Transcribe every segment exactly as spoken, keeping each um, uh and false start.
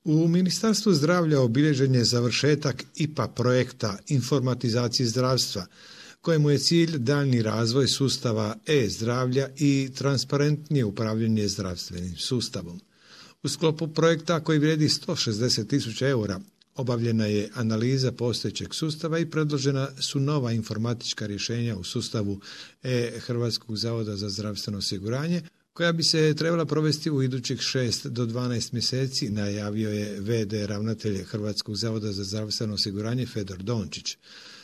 U Ministarstvu zdravlja obilježen je završetak I P A projekta informatizacije zdravstva, kojemu je cilj daljnji razvoj sustava e-zdravlja i transparentnije upravljanje zdravstvenim sustavom. U sklopu projekta koji vrijedi sto šezdeset tisuća eura obavljena je analiza postojećeg sustava i predložena su nova informatička rješenja u sustavu e-Hrvatskog zavoda za zdravstveno osiguranje, koja bi se trebala provesti u idućih šest do dvanaest mjeseci, najavio je ve de ravnatelj Hrvatskog zavoda za zdravstveno osiguranje Fedor Dončić.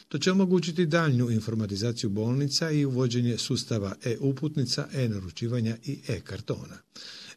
To će omogućiti daljnju informatizaciju bolnica i uvođenje sustava e-uputnica, e-naručivanja i e-kartona.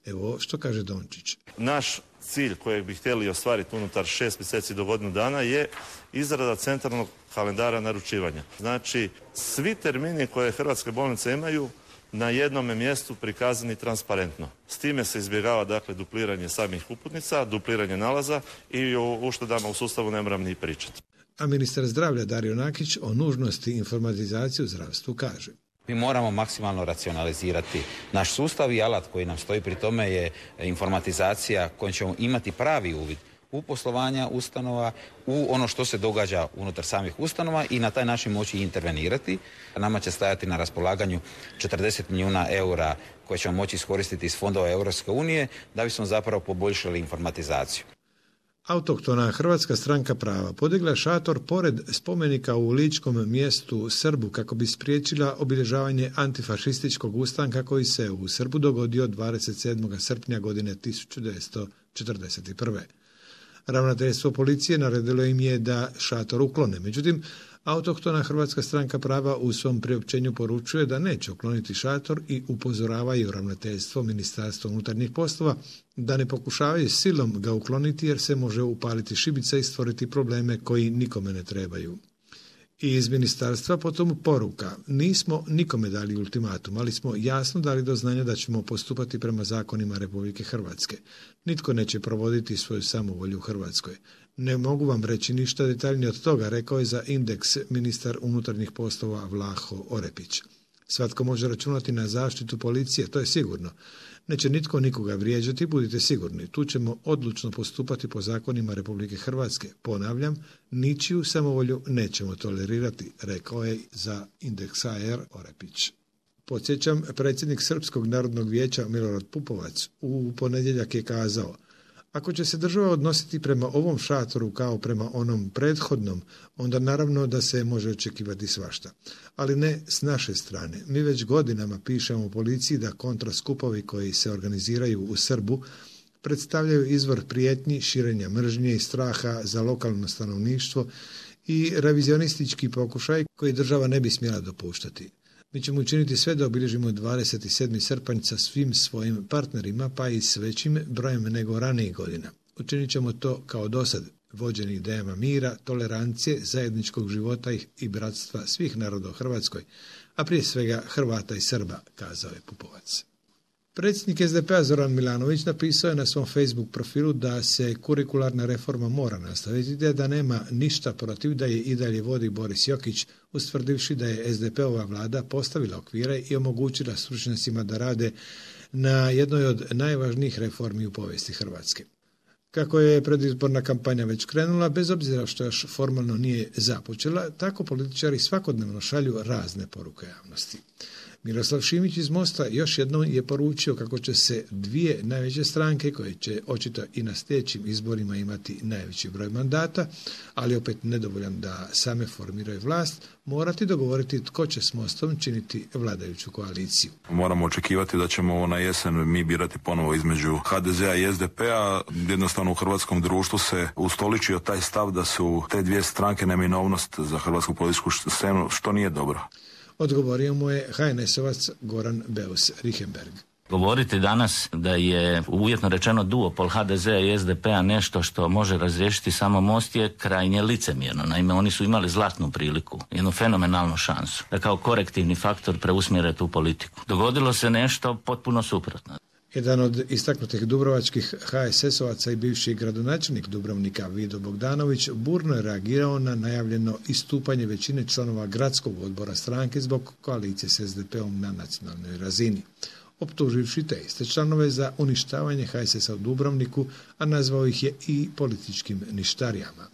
Evo što kaže Dončić. Naš cilj kojeg bi htjeli ostvariti unutar šest mjeseci do godinu dana je izrada centralnog kalendara naručivanja. Znači, svi termini koje hrvatske bolnice imaju na jednome mjestu prikazani transparentno. S time se izbjegava dakle dupliranje samih uputnica, dupliranje nalaza i o uštedama u sustavu ne moram ni pričati. A ministar zdravlja Dario Nakić o nužnosti informatizacije u zdravstvu kaže. Mi moramo maksimalno racionalizirati naš sustav i alat koji nam stoji pri tome je informatizacija kojom ćemo imati pravi uvid u poslovanja ustanova, u ono što se događa unutar samih ustanova i na taj način moći intervenirati. Nama će stajati na raspolaganju četrdeset milijuna eura koje ćemo moći iskoristiti iz fondova Europske unije da bismo zapravo poboljšali informatizaciju. Autohtona Hrvatska stranka prava podigla je šator pored spomenika u ličkom mjestu Srbu kako bi spriječila obilježavanje antifašističkog ustanka koji se u Srbu dogodio dvadeset sedmog srpnja godine tisuću devetsto četrdeset prve. Ravnateljstvo policije naredilo im je da šator uklone. Međutim, autohtona Hrvatska stranka prava u svom priopćenju poručuje da neće ukloniti šator i upozoravaju ravnateljstvo Ministarstva unutarnjih poslova da ne pokušavaju silom ga ukloniti jer se može upaliti šibica i stvoriti probleme koji nikome ne trebaju. I iz ministarstva potom poruka. Nismo nikome dali ultimatum, ali smo jasno dali do znanja da ćemo postupati prema zakonima Republike Hrvatske. Nitko neće provoditi svoju samovolju u Hrvatskoj. Ne mogu vam reći ništa detaljnije od toga, rekao je za Indeks ministar unutarnjih poslova Vlaho Orepić. Svatko može računati na zaštitu policije, to je sigurno. Neće nitko nikoga vrijeđati, budite sigurni. Tu ćemo odlučno postupati po zakonima Republike Hrvatske. Ponavljam, ničiju samovolju nećemo tolerirati, rekao je za Indeks a er Orepić. Podsjećam, predsjednik Srpskog narodnog vijeća Milorad Pupovac u ponedjeljak je kazao: ako će se država odnositi prema ovom šatoru kao prema onom prethodnom, onda naravno da se može očekivati svašta. Ali ne s naše strane. Mi već godinama pišemo policiji da kontraskupovi koji se organiziraju u Srbu predstavljaju izvor prijetnji, širenja mržnje i straha za lokalno stanovništvo i revizionistički pokušaj koji država ne bi smjela dopuštati. Mi ćemo učiniti sve da obilježimo dvadeset sedmi srpanj sa svim svojim partnerima, pa i s većim brojem nego ranijih godina. Učinit ćemo to kao dosad, vođeni idejama mira, tolerancije, zajedničkog života i bratstva svih naroda u Hrvatskoj, a prije svega Hrvata i Srba, kazao je Pupovac. Predsjednik es de pe a Zoran Milanović napisao je na svom Facebook profilu da se kurikularna reforma mora nastaviti, te da nema ništa protiv da je i dalje vodi Boris Jokić, ustvrdivši da je es de pe ova vlada postavila okvire i omogućila stručnjacima da rade na jednoj od najvažnijih reformi u povijesti Hrvatske. Kako je predizborna kampanja već krenula, bez obzira što još formalno nije započela, tako političari svakodnevno šalju razne poruke javnosti. Miroslav Šimić iz Mosta još jednom je poručio kako će se dvije najveće stranke, koje će očito i na sljedećim izborima imati najveći broj mandata, ali opet nedovoljan da same formiraju vlast, morati dogovoriti tko će s Mostom činiti vladajuću koaliciju. Moramo očekivati da ćemo na jesen mi birati ponovo između ha de zea i es de pe a. Jednostavno u hrvatskom društvu se ustoličio taj stav da su te dvije stranke neminovnost za hrvatsku političku scenu, što nije dobro. Odgovorio mu je ha en esovac Goran Beus Richembergh. Govoriti danas da je uvjetno rečeno duopol ha de zea i es de pe a nešto što može razriješiti samo Most je krajnje licemjerno. Naime, oni su imali zlatnu priliku, jednu fenomenalnu šansu da kao korektivni faktor preusmjere tu politiku. Dogodilo se nešto potpuno suprotno. Jedan od istaknutih dubrovačkih ha es esovaca i bivši gradonačelnik Dubrovnika Vido Bogdanović burno je reagirao na najavljeno istupanje većine članova gradskog odbora stranke zbog koalicije s es de pe om na nacionalnoj razini. optuživši te iste članove za uništavanje H S S-a u Dubrovniku, a nazvao ih je i političkim ništarijama.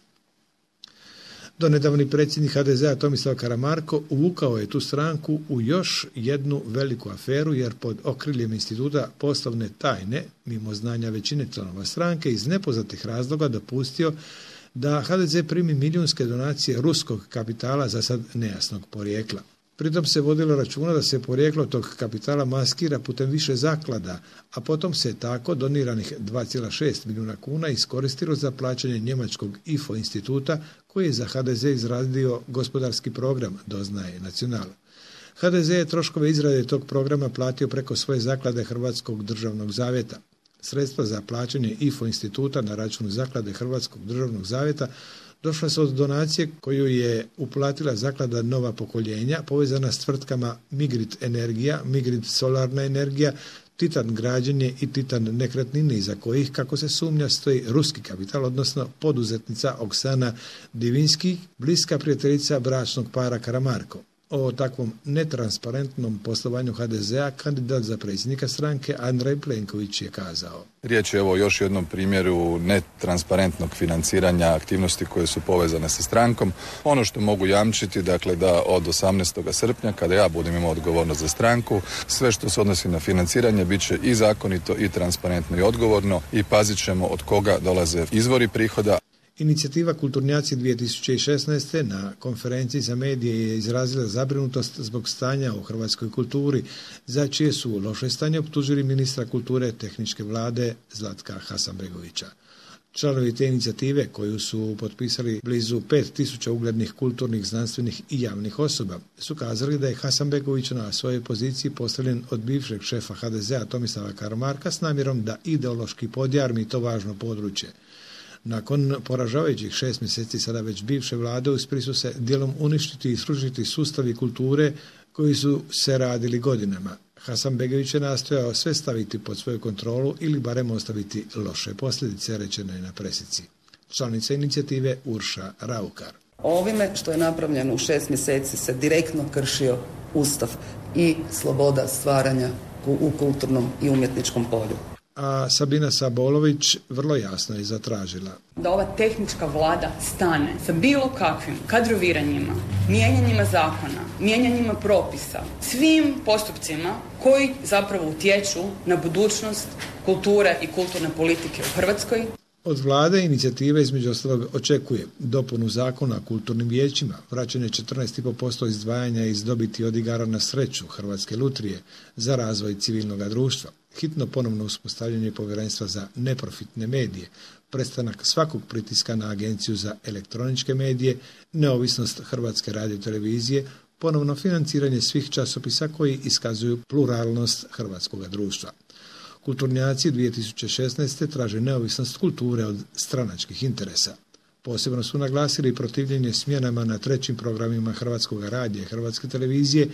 Donedavni predsjednik H D Z-a Tomislav Karamarko uvukao je tu stranku u još jednu veliku aferu, jer pod okriljem instituta poslovne tajne, mimo znanja većine članova stranke, iz nepoznatih razloga dopustio da H D Z primi milijunske donacije ruskog kapitala, za sad nejasnog porijekla. Pritom se vodilo računa da se porijeklo tog kapitala maskira putem više zaklada, a potom se tako doniranih dva zarez šest milijuna kuna iskoristilo za plaćanje njemačkog I F O instituta koji je za H D Z izradio gospodarski program, doznaje Nacional. H D Z je troškove izrade tog programa platio preko svoje zaklade Hrvatskog državnog zavjeta. Sredstva za plaćanje I F O instituta na račun zaklade Hrvatskog državnog zavjeta došla su od donacije koju je uplatila zaklada Nova pokoljenja, povezana s tvrtkama Migrit Energija, Migrit Solarna energija, Titan građenje i Titan nekretnine, iza kojih, kako se sumnja, stoji ruski kapital, odnosno poduzetnica Oksana Divinski, bliska prijateljica bračnog para Karamarko. O takvom netransparentnom poslovanju H D Z-a kandidat za predsjednika stranke Andrej Plenković je kazao: Riječ je evo još jednom primjeru netransparentnog financiranja aktivnosti koje su povezane sa strankom. Ono što mogu jamčiti, dakle, da od osamnaestog srpnja, kada ja budem imao odgovornost za stranku, sve što se odnosi na financiranje bit će i zakonito i transparentno i odgovorno i pazit ćemo od koga dolaze izvori prihoda. Inicijativa Kulturnjaci dvije tisuće šesnaeste. na konferenciji za medije je izrazila zabrinutost zbog stanja u hrvatskoj kulturi, za čije su loše stanje optužili ministra kulture tehničke vlade Zlatka Hasanbegovića. Članovi te inicijative, koju su potpisali blizu pet tisuća uglednih kulturnih, znanstvenih i javnih osoba, su kazali da je Hasanbegović na svojoj poziciji postavljen od bivšeg šefa H D Z-a Tomislava Karamarka s namjerom da ideološki podjarmi to važno područje. Nakon poražavajućih šest mjeseci sada već bivše vlade uspjeli su se dijelom uništiti i srušiti sustavi kulture koji su se radili godinama. Hasanbegović je nastojao sve staviti pod svoju kontrolu ili barem ostaviti loše posljedice, rečeno je na presici. Članica inicijative Urša Raukar. Ovime što je napravljeno u šest mjeseci se direktno kršio Ustav i sloboda stvaranja u kulturnom i umjetničkom polju. A Sabina Sabolović vrlo jasno je zatražila da ova tehnička vlada stane sa bilo kakvim kadroviranjima, mijenjanjima zakona, mijenjanjima propisa, svim postupcima koji zapravo utječu na budućnost kulture i kulturne politike u Hrvatskoj. Od vlade inicijative između ostalog očekuje dopunu zakona o kulturnim vijećima, vraćanje četrnaest zarez pet posto izdvajanja iz dobiti od igara na sreću Hrvatske lutrije za razvoj civilnog društva, hitno ponovno uspostavljanje povjerenstva za neprofitne medije, prestanak svakog pritiska na Agenciju za elektroničke medije, neovisnost Hrvatske radiotelevizije, ponovno financiranje svih časopisa koji iskazuju pluralnost hrvatskog društva. Kulturnjaci dvije tisuće šesnaeste. traže neovisnost kulture od stranačkih interesa. Posebno su naglasili protivljenje smjenama na trećim programima Hrvatskog radija i Hrvatske televizije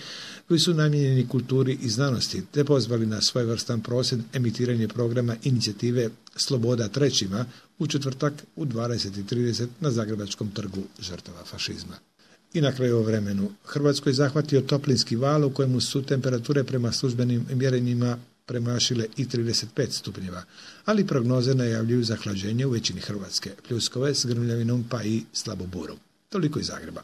koji su namijenjeni kulturi i znanosti, te pozvali na svojevrstan prosvjed emitiranje programa inicijative Sloboda trećima u četvrtak u dvadeset i trideset na Zagrebačkom trgu žrtava fašizma. I na kraju o vremenu. Hrvatskoj zahvatio toplinski val u kojemu su temperature prema službenim mjerenjima premašile i trideset pet stupnjeva, ali prognoze najavljuju zahlađenje u većini Hrvatske, pljuskove s grmljavinom pa i slaboburom. Toliko iz Zagreba.